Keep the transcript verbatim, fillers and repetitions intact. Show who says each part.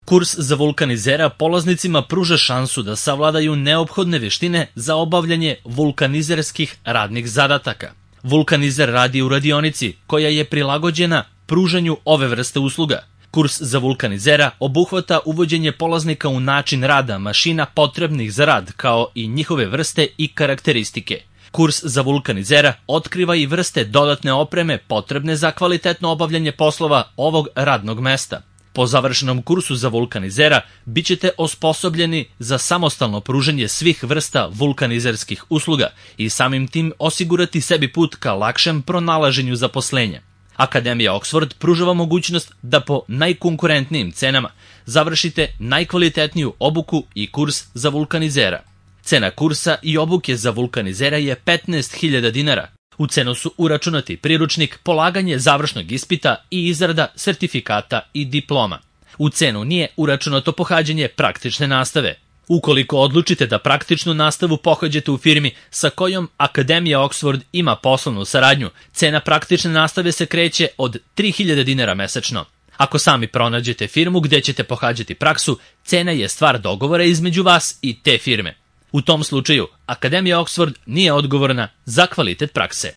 Speaker 1: Kurs za vulkanizera polaznicima pruža šansu da savladaju neophodne veštine za obavljanje vulkanizerskih radnih zadataka. Vulkanizer radi u radionici koja je prilagođena pružanju ove vrste usluga. Kurs za vulkanizera obuhvata uvođenje polaznika u način rada mašina potrebnih za rad, kao i njihove vrste i karakteristike. Kurs za vulkanizera otkriva i vrste dodatne opreme potrebne za kvalitetno obavljanje poslova ovog radnog mesta. Po završenom kursu za vulkanizera bit ćete osposobljeni za samostalno pružanje svih vrsta vulkanizerskih usluga i samim tim osigurati sebi put ka lakšem pronalaženju zaposlenja. Akademija Oxford pružava mogućnost da po najkonkurentnijim cenama završite najkvalitetniju obuku i kurs za vulkanizera. Cena kursa i obuke za vulkanizera je petnaest hiljada dinara. U cenu su uračunati priručnik, polaganje završnog ispita i izrada sertifikata i diploma. U cenu nije uračunato pohađanje praktične nastave. Ukoliko odlučite da praktičnu nastavu pohađate u firmi sa kojom Akademija Oxford ima poslovnu saradnju, cena praktične nastave se kreće od tri hiljade dinara mesečno. Ako sami pronađete firmu gde ćete pohađati praksu, cena je stvar dogovora između vas i te firme. U tom slučaju, Akademija Oxford nije odgovorna za kvalitet prakse.